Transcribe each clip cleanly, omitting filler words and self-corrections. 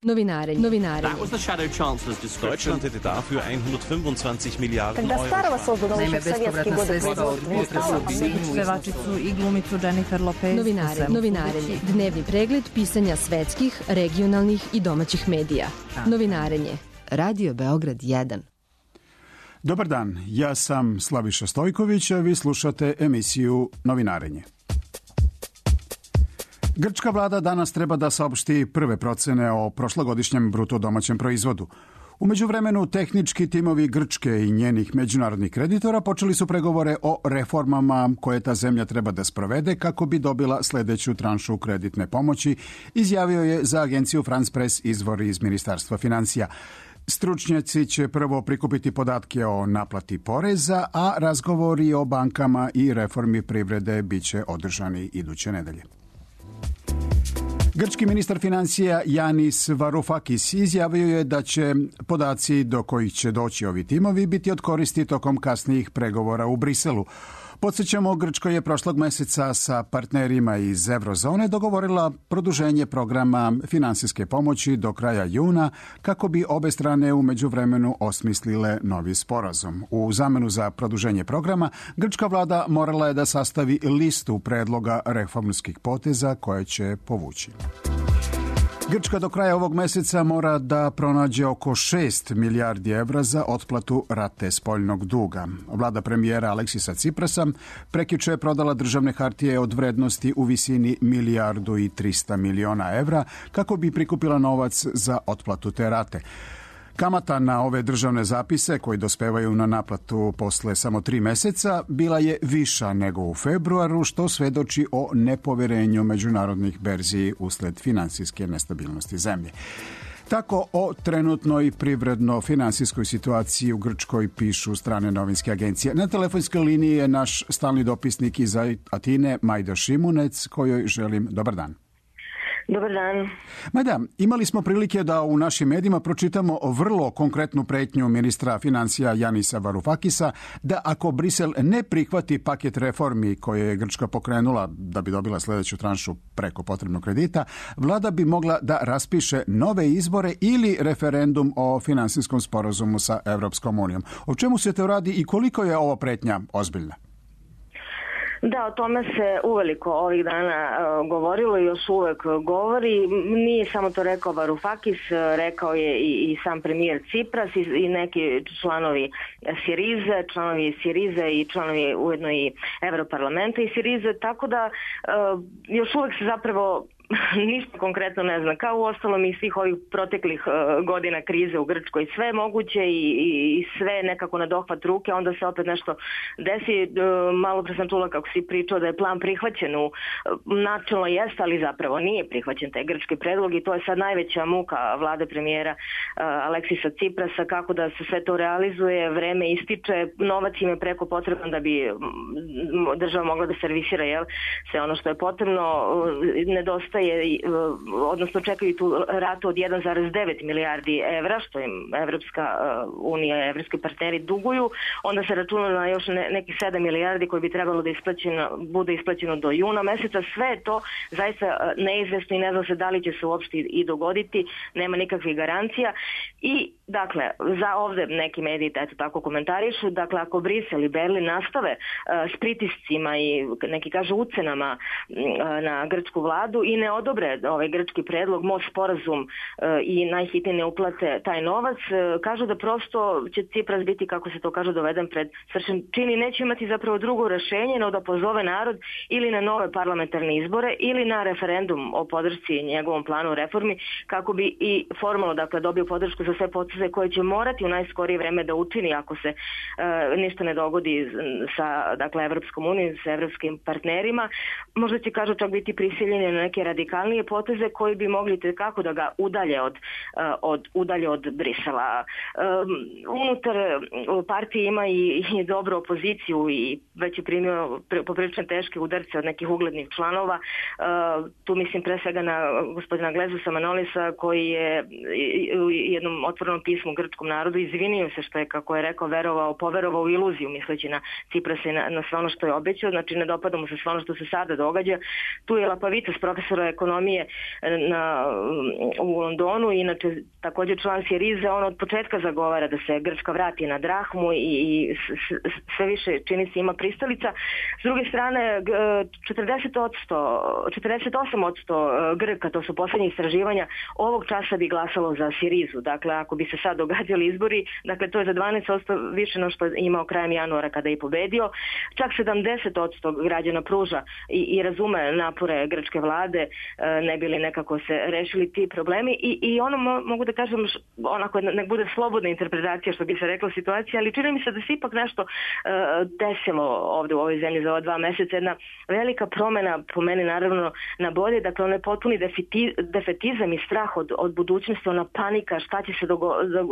Novinarenje. That was the Shadow Chancellor's description. Deutschland hätte dafür 125 Milijarden Когда старого создано Naime, еще в советские годы sredstva od pevačicu i glumicu Jennifer Lopez. Novinarenje. Dnevni pregled pisanja svetskih, regionalnih i domaćih medija. Novinarenje. Radio Beograd 1. Dobar dan, ja sam Slaviša Stojković, a vi slušate emisiju Novinarenje. Grčka vlada danas treba da saopšti prve procene o prošlogodišnjem bruto domaćem proizvodu. U međuvremenu, tehnički timovi Grčke i njenih međunarodnih kreditora počeli su pregovore o reformama koje ta zemlja treba da sprovede kako bi dobila sledeću tranšu kreditne pomoći, izjavio je za agenciju France Press izvor iz Ministarstva financija. Stručnjaci će prvo prikupiti podatke o naplati poreza, a razgovori o bankama i reformi privrede biće održani iduće nedelje. Grčki ministar financija Yanis Varoufakis izjavio je da će podaci do kojih će doći ovi timovi biti od koristi tokom kasnijih pregovora u Briselu. Podsjećamo, Grčka je prošlog meseca sa partnerima iz Eurozone dogovorila produženje programa finansijske pomoći do kraja juna kako bi obe strane u međuvremenu osmislile novi sporazum. U zamenu za produženje programa, grčka vlada morala je da sastavi listu predloga reformskih poteza koje će povući. Grčka do kraja ovog meseca mora da pronađe oko 6 milijardi evra za otplatu rate spoljnog duga. Vlada premijera Aleksisa Ciprasa prekjuče je prodala državne hartije od vrednosti u visini 1,3 milijarde evra kako bi prikupila novac za otplatu te rate. Kamata na ove državne zapise koji dospevaju na naplatu posle samo 3 meseca bila je viša nego u februaru, što svedoči o nepoverenju međunarodnih berzi usled finansijske nestabilnosti zemlje. Tako o trenutnoj privredno-finansijskoj situaciji u Grčkoj pišu strane novinske agencije. Na telefonskoj liniji je naš stalni dopisnik iz Atine, Majda Šimunec, kojoj želim dobar dan. Dobar dan. Majda, imali smo prilike da u našim medijima pročitamo vrlo konkretnu pretnju ministra financija Janisa Varoufakisa da ako Brisel ne prihvati paket reformi koje je Grčka pokrenula da bi dobila sledeću tranšu preko potrebnog kredita, vlada bi mogla da raspiše nove izbore ili referendum o finansijskom sporazumu sa Evropskom unijom. O čemu se to radi i koliko je ova pretnja ozbiljna? Da, o tome se uveliko ovih dana govorilo i još uvek govori. Nije samo to rekao Varoufakis, rekao je i sam premijer Cipras i neki članovi Sirize i članovi ujedno i Evroparlamenta i Sirize, tako da još uvek se zapravo ništa konkretno ne zna. Kao u ostalom i svih ovih proteklih godina krize u Grčkoj, sve je moguće i sve nekako na dohvat ruke, onda se opet nešto desi. Malo pre sam čula kako si pričao da je plan prihvaćen načelno jeste, ali zapravo nije prihvaćen taj grčki predlog i to je sad najveća muka vlade premijera Aleksisa Ciprasa, kako da se sve to realizuje, vreme ističe, novac im je preko potreban da bi država mogla da servisira sve ono što je potrebno, nedostaje odnosno čekaju tu ratu od 1,9 milijardi evra, što im Evropska unija, evropski partneri duguju, onda se računa na još nekih 7 milijardi koji bi trebalo da bude isplaćeno do juna meseca. Sve je to zaista neizvesno i ne zna se da li će se uopšte i dogoditi, nema nikakvih garancija. I dakle, za ovde neki mediji eto tako komentarišu, dakle ako Brisel i Berlin nastave s pritiscima i neki kažu ucenama na grčku vladu i ne odobre ovaj grčki predlog, most sporazum i najhitnije ne uplate taj novac, kažu da prosto će Cipras biti, kako se to kaže, doveden pred svršen čin i neće imati zapravo drugo rešenje no da pozove narod ili na nove parlamentarne izbore ili na referendum o podršci njegovom planu reformi kako bi i formalno dakle dobio podršku za sve poteze koje će morati u najskorije vreme da učini ako se ništa ne dogodi sa dakle Evropskom unijom, sa evropskim partnerima. Možda će, kažu, čak biti prisiljeni na neke radikalnije poteze koji bi mogli kako da ga udalje od Brisela. Unutar partije ima i dobru opoziciju i već je primio poprilično teške udarce od nekih uglednih članova. Tu mislim pre svega na gospodina Glezusa Manolisa koji je u jednom otvorenom pismu grčkom narodu izvinio se što je, kako je rekao, poverovao u iluziju misleći na Ciprasa i na sve ono što je obećao. Znači ne dopada mu se sve ono što se sada događa. Tu je Lapavicas, profesor ministra ekonomije u Londonu, inače također član Sirize, on od početka zagovara da se Grčka vrati na drahmu i sve više čini se ima pristalica. S druge strane, 48% Grka, to su posljednje istraživanja, ovog časa bi glasalo za Sirizu. Dakle, ako bi se sad događali izbori, dakle to je za 12% više no što je imao krajem januara kada je pobedio. Čak 70% građana pruža i razume napore grčke vlade, ne bi li nekako se rešili ti problemi. I ono mogu da kažem, onako nek bude slobodna interpretacija što bi se rekla situacija, ali čini mi se da se ipak nešto desilo ovdje u ovoj zemlji za ova 2 mjeseca, jedna velika promjena, po meni naravno na bolje, dakle onaj potpuni defetizam i strah od budućnosti, ona panika, šta će se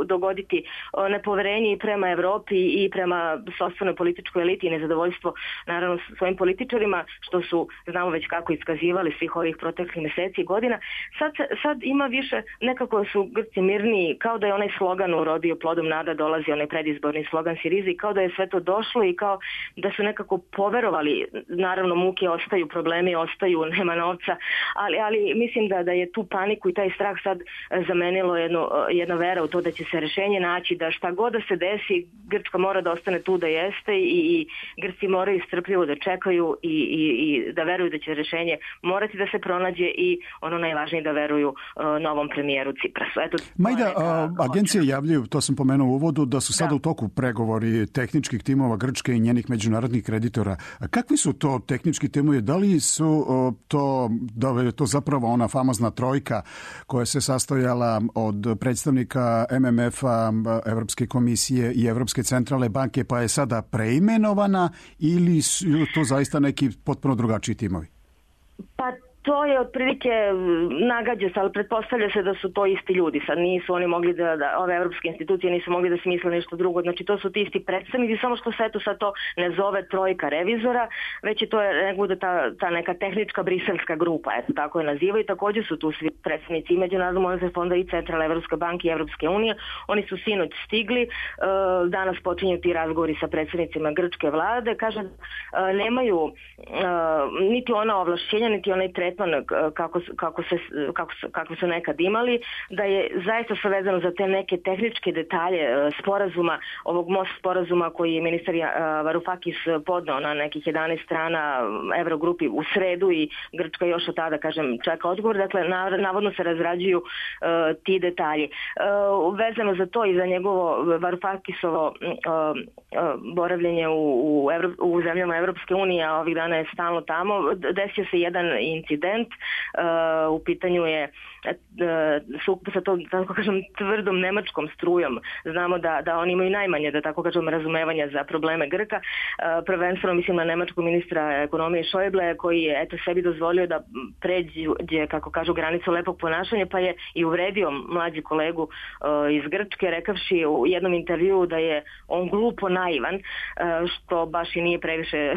dogoditi, nepoverenje i prema Evropi i prema sopstvenoj političkoj eliti i nezadovoljstvo naravno svojim političarima, što su, znamo već kako iskazivali svih ovih proteklih mjeseci i godina. Sad ima više, nekako su Grci mirniji, kao da je onaj slogan urodio plodom nada, dolazi onaj predizborni slogan Sirize, kao da je sve to došlo i kao da su nekako poverovali, naravno muke ostaju, problemi ostaju, nema novca, ali mislim da je tu paniku i taj strah sad zamenilo jedna vera u to da će se rešenje naći, da šta god da se desi, Grčka mora da ostane tu da jeste i Grci moraju strpljivo da čekaju i da veruju da će rešenje morati da se pronađe i ono najvažnije da veruju novom premijeru Ciprasu. Eto, Majda, agencije javljaju, to sam pomenuo u uvodu, da su sada u toku pregovori tehničkih timova Grčke i njenih međunarodnih kreditora. Kakvi su to tehnički timovi? Da li je to zapravo ona famozna trojka koja se sastojala od predstavnika MMF-a, Evropske komisije i Evropske centralne banke, pa je sada preimenovana, ili su to zaista neki potpuno drugačiji timovi? Pa to je otprilike nagađa se, ali pretpostavlja se da su to isti ljudi. Sad nisu oni mogli da ove evropske institucije nisu mogli da smisle nešto drugo. Znači to su ti isti predstavnici, samo što se eto sad to ne zove trojka revizora, već je to ta neka tehnička briselska grupa, eto tako je nazivaju. Također su tu svi predstavnici i Međunarodnog monetarnog fonda i Centralne Evropske banke i Evropske unije. Oni su sinoć stigli, danas počinju ti razgovori sa predstavnicima grčke vlade. Kažem, nemaju niti ona ovlašćenja, niti onaj tretman kako su nekad imali, da je zaista sve vezano za te neke tehničke detalje sporazuma, ovog most sporazuma koji je ministar Varoufakis podneo na nekih 11 strana Evrogrupi u sredu i Grčka još od tada, kažem, čeka odgovor. Dakle, navodno se razrađuju ti detalji. Vezano za to i za njegovo Varoufakisovo boravljenje u zemljama Evropske unije, a ovih dana je stalno tamo, desio se jedan incident. U pitanju je sukob sa tom, tako kažem, tvrdom nemačkom strujom. Znamo da oni imaju najmanje, da tako kažem, razumevanja za probleme Grka. Prvenstveno mislim na nemačkog ministra ekonomije Schäuble, koji je sebi dozvolio da pređe, kako kažu, granicu lepog ponašanja, pa je i uvredio mlađi kolegu iz Grčke, rekavši u jednom intervjuu da je on glupo naivan, što baš i nije previše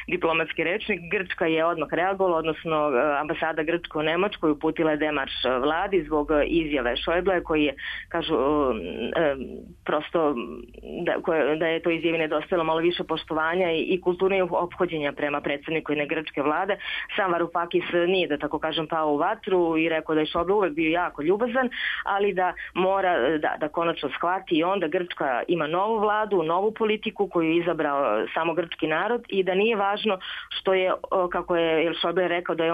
diplomatski rečnik. Grčka je odmah reagovala, odnosno ambasada Grčka u Nemačkoj uputila je demarš vladi zbog izjave Schäuble, koji je, kažu, prosto da je to izjavi nedostajalo malo više poštovanja i kulturnih ophođenja prema predsjedniku jedne grčke vlade. Sam Varoufakis nije, da tako kažem, pao u vatru i rekao da je Schäuble uvek bio jako ljubazan, ali da mora da konačno shvati i onda Grčka ima novu vladu, novu politiku koju je izabrao samo grčki narod i da nije važno što je, kako je Schäuble rekao da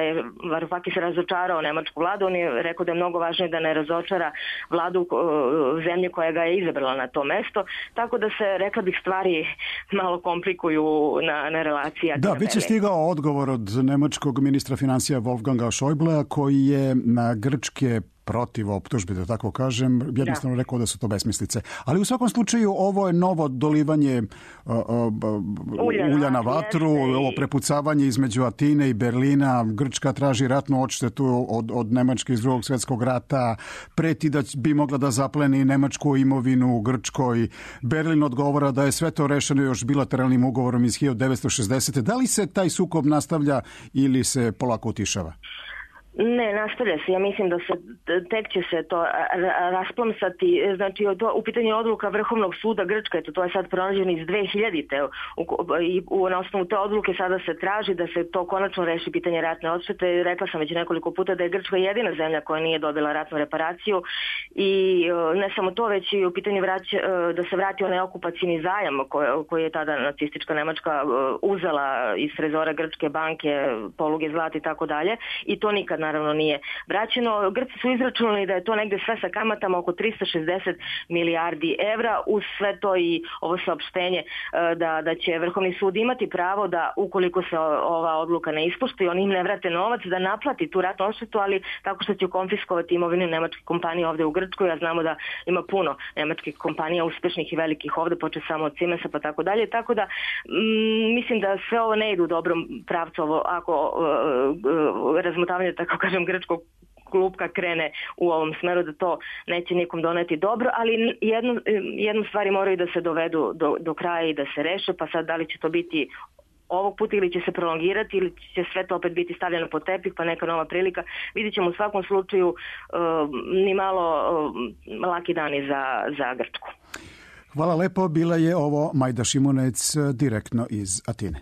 je Varoufakis razočarao nemačku vladu, on je rekao da je mnogo važnije da ne razočara vladu zemlje koja ga je izabrala na to mesto, tako da se, rekla bih, stvari malo komplikuju na relaciji. Da, već je stigao odgovor od nemačkog ministra financija Wolfganga Schäublea, koji je na grčke protiv optužbe, da tako kažem, jednostavno rekao da su to besmislice. Ali u svakom slučaju ovo je novo dolivanje ulja na vatru, ovo prepucavanje između Atine i Berlina. Grčka traži ratnu odštetu od Nemačke iz Drugog svjetskog rata, preti da bi mogla da zapleni nemačku imovinu u Grčkoj. Berlin odgovara da je sve to rešeno još bilateralnim ugovorom iz 1960. Da li se taj sukob nastavlja ili se polako utišava? Ne, nastavlja se. Ja mislim da tek će se to rasplamsati. Znači, u pitanju odluka Vrhovnog suda Grčka, to je sad pronađeno iz 2000-te. I na osnovu te odluke sada se traži da se to konačno reši pitanje ratne odštete. Rekla sam već nekoliko puta da je Grčka jedina zemlja koja nije dobila ratnu reparaciju i ne samo to, već i u pitanju da se vrati onaj okupacijni zajam koji je tada nacistička Nemačka uzela iz trezora Grčke banke, poluge zlata i tako dalje. I to nikad naravno nije vraćeno. Grci su izračunali da je to negde sve sa kamatama oko 360 milijardi evra, uz sve to i ovo saopštenje da će Vrhovni sud imati pravo da, ukoliko se ova odluka ne ispoštuje, oni im ne vrate novac, da naplati tu ratnu odštetu, ali tako što će konfiskovati imovinu nemačke kompanije ovde u Grčkoj. Ja znamo da ima puno nemačkih kompanija uspešnih i velikih ovde, počeo samo od Siemensa pa tako dalje. Tako da mislim da sve ovo ne ide u dobrom pravcu, ako razmotavanje, tako kažem, grčkog klupka krene u ovom smeru, da to neće nikom doneti dobro, ali jednu stvari moraju da se dovedu do kraja i da se reše, pa sad da li će to biti ovog puta ili će se prolongirati ili će sve to opet biti stavljeno pod tepih, pa neka nova prilika. Vidjet ćemo u svakom slučaju ni malo laki dani za Grčku. Hvala lepo, bila je ovo Majda Šimunec direktno iz Atine.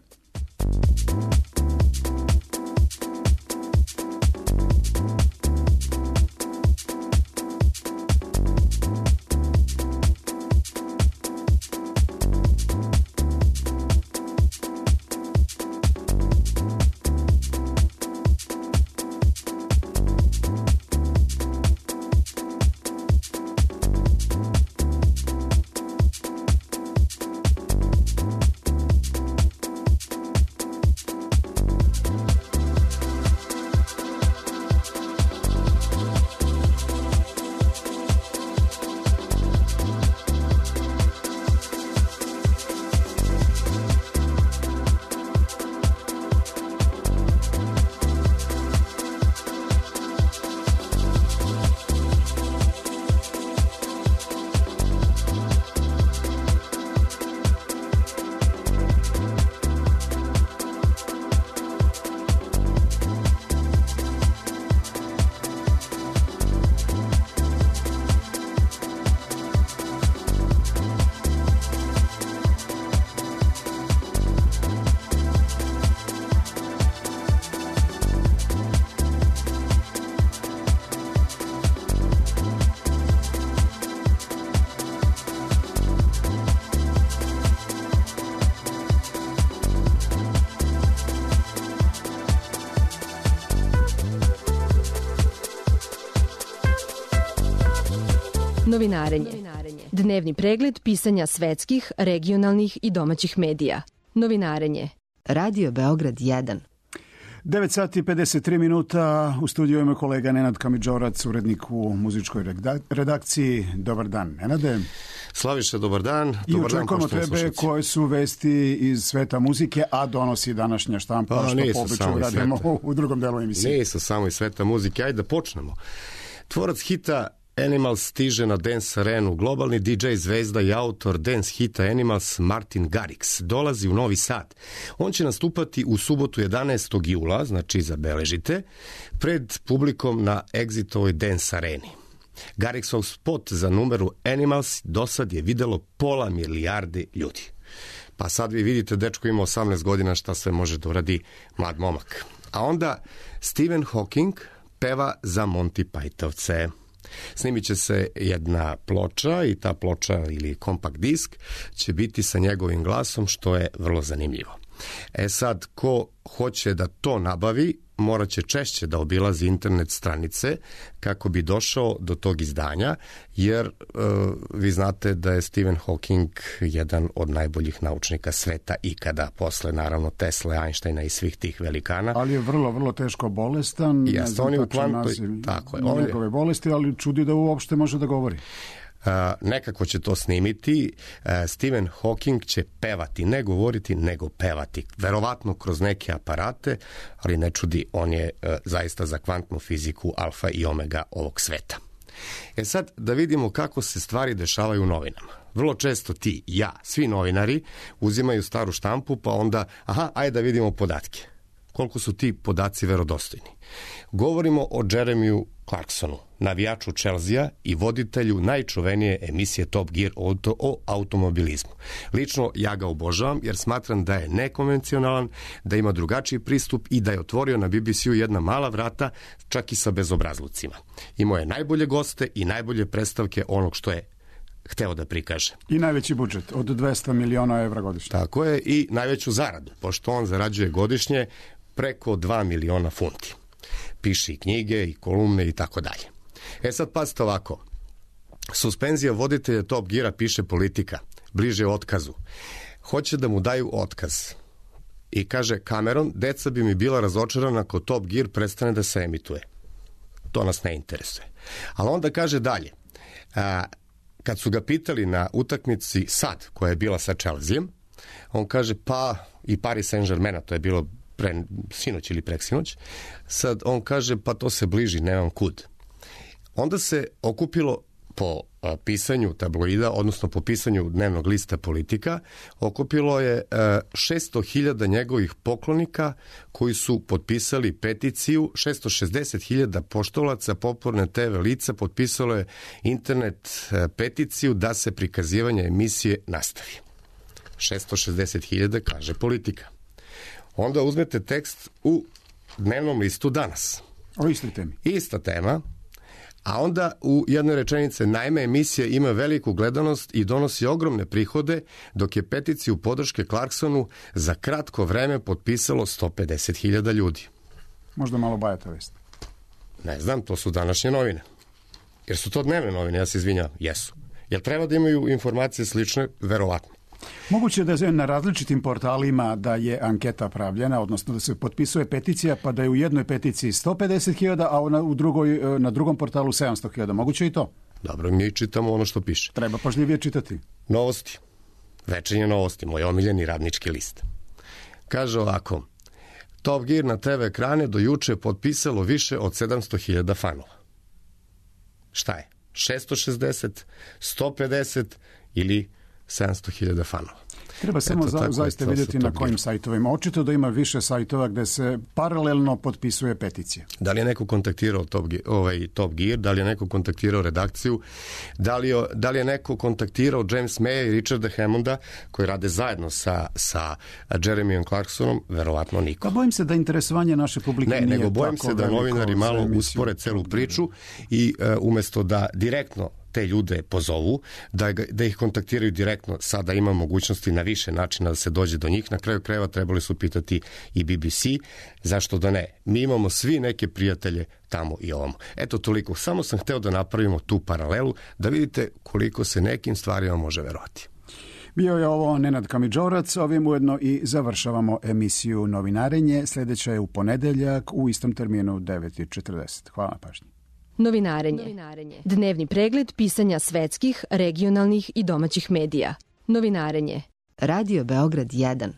Novinarenje. Dnevni pregled pisanja svetskih, regionalnih i domaćih medija. Novinarenje. Radio Beograd 1. 9 sati 53 minuta. U studiju ima kolega Nenad Kamidžorac, urednik u muzičkoj redakciji. Dobar dan, Nenade. Slaviše, dobar dan. I očekujemo tebe koje su vesti iz sveta muzike, a donosi današnja štampa, što po običaju radimo u drugom delu emisije. Nisu samo iz sveta muzike. Ajde da počnemo. Tvorac hita Animals stiže na Dance Arenu. Globalni DJ zvezda i autor dance hita Animals Martin Garrix dolazi u Novi Sad. On će nastupati u subotu 11. jula, znači zabeležite, pred publikom na Exitovoj Dance Areni. Garrixov spot za numeru Animals dosad je videlo 500 milijardi ljudi. Pa sad vi vidite, dečko ima 18 godina, šta sve može da uradi mlad momak. A onda Stephen Hawking peva za Monty Pythovce. Snimit će se jedna ploča i ta ploča ili kompakt disk će biti sa njegovim glasom, što je vrlo zanimljivo. Sad, ko hoće da to nabavi, morat će češće da obilazi internet stranice kako bi došao do tog izdanja, jer vi znate da je Stephen Hawking jedan od najboljih naučnika sveta ikada, posle naravno Tesle, Einsteina i svih tih velikana. Ali je vrlo, vrlo teško bolestan. Jeste, on je u tako je. Njegove bolesti, ali čudi da uopšte može da govori. Nekako će to snimiti. Stephen Hawking će pevati, ne govoriti, nego pevati. Verovatno kroz neke aparate, ali ne čudi, on je zaista za kvantnu fiziku alfa i omega ovog sveta. Sad da vidimo kako se stvari dešavaju u novinama. Vrlo često ti, ja, svi novinari uzimaju staru štampu, pa onda, ajde da vidimo podatke. koliko su ti podaci verodostojni. Govorimo o Jeremiju Clarksonu, navijaču Chelsea i voditelju najčuvenije emisije Top Gear o automobilizmu. Lično ja ga obožavam jer smatram da je nekonvencionalan, da ima drugačiji pristup i da je otvorio na BBC-u jedna mala vrata, čak i sa bezobrazlucima. Imao je najbolje goste i najbolje predstavke onog što je hteo da prikaže. I najveći budžet od 200 miliona evra godišnje. Tako je, i najveću zaradu, pošto on zarađuje godišnje preko 2 miliona funti. Piše i knjige, i kolumne i tako dalje. Sad pazite ovako. Suspenzija voditelja Top Geara, piše Politika, bliže otkazu. Hoće da mu daju otkaz. I kaže Cameron, deca bi mi bila razočarana ako Top Gear prestane da se emituje. To nas ne interesuje. Ali onda kaže dalje. Kad su ga pitali na utakmici sad, koja je bila sa Chelseaem, on kaže pa i Paris Saint-Germain, to je bilo sinoć ili preksinoć, sad on kaže pa to se bliži, nemam kud. Onda se okupilo po pisanju tabloida, odnosno po pisanju dnevnog lista Politika, okupilo je 600.000 njegovih poklonika koji su potpisali peticiju, 660.000 poštovalaca, popularne TV lica potpisalo je internet peticiju da se prikazivanje emisije nastavi. 660.000, kaže Politika. Onda uzmete tekst u dnevnom listu Danas. O istoj temi. Ista tema. A onda u jednoj rečenici, naime, emisija ima veliku gledanost i donosi ogromne prihode, dok je peticiju podrške Clarksonu za kratko vreme potpisalo 150.000 ljudi. Možda malo bajata vest. Ne znam, to su današnje novine. Jer su to dnevne novine, ja se izvinjam. Jesu. Jel treba da imaju informacije slične? Verovatno. Moguće da je na različitim portalima da je anketa pravljena, odnosno da se potpisuje peticija, pa da je u jednoj peticiji 150.000, a na drugom portalu 700.000. Moguće i to? Dobro, mi čitamo ono što piše. Treba pažljivije čitati. Novosti. Večernje novosti, moj omiljeni radnički list. Kaže ovako, Top Gear na TV ekrane do juče potpisalo više od 700.000 fanova. Šta je? 660, 150 ili 700.000 fanova. Treba samo zaista vidjeti na kojim sajtovima. Očito da ima više sajtova gde se paralelno potpisuje peticija. Da li je neko kontaktirao Top Gear, da li je neko kontaktirao redakciju, da li je neko kontaktirao James Maya i Richarda Hammonda, koji rade zajedno sa Jeremijom Clarksonom? Verovatno niko. Pa bojim se da interesovanje naše publike nije tako veliko. Ne, nego bojim se da novinari malo uspore celu priču i umesto da direktno te ljude pozovu, da ih kontaktiraju direktno, sada ima mogućnosti na više načina da se dođe do njih. Na kraju krajeva trebali su pitati i BBC, zašto da ne? Mi imamo svi neke prijatelje tamo i ovamo. Eto toliko, samo sam hteo da napravimo tu paralelu, da vidite koliko se nekim stvarima može verovati. Bio je ovo Nenad Kamidžorac, ovim ujedno i završavamo emisiju Novinarenje. Sljedeća je u ponedeljak u istom terminu 9:40. Hvala na pažnji. Novinarenje. Dnevni pregled pisanja svetskih, regionalnih i domaćih medija. Novinarenje. Radio Beograd 1.